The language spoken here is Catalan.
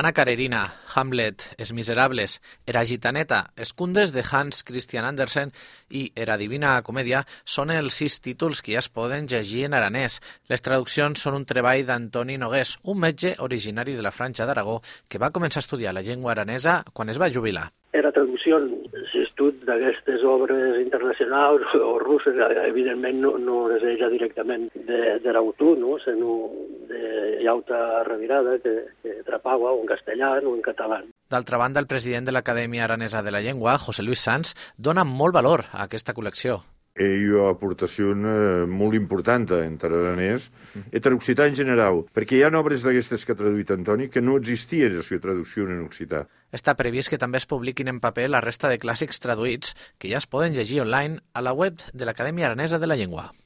Anna Karenina, Hamlet, Els Miserables, Era Gitaneta, Els Condes de Hans Christian Andersen i Era Divina Comèdia són els 6 títols que ja es poden llegir en aranès. Les traduccions són un treball d'Antoni Nogués, un metge originari de la Franja d'Aragó que va començar a estudiar la llengua aranesa quan es va jubilar. Era traducció, l'estudi d'aquestes obres internacionals o russes, evidentment no és ella directament de l'autor, no? sinó de llauta revirada que trapava o en castellà o en català. D'altra banda, el president de l'Acadèmia Aranesa de la Llengua, José Luis Sanz, dona molt valor a aquesta col·lecció. Hi ha aportació molt important entre aranès i occità en general, perquè hi ha obres d'aquestes que ha traduït Antoni que no existien la seva traducció en occità. Està previst que també es publiquin en paper la resta de clàssics traduïts que ja es poden llegir online a la web de l'Acadèmia Aranesa de la Llengua.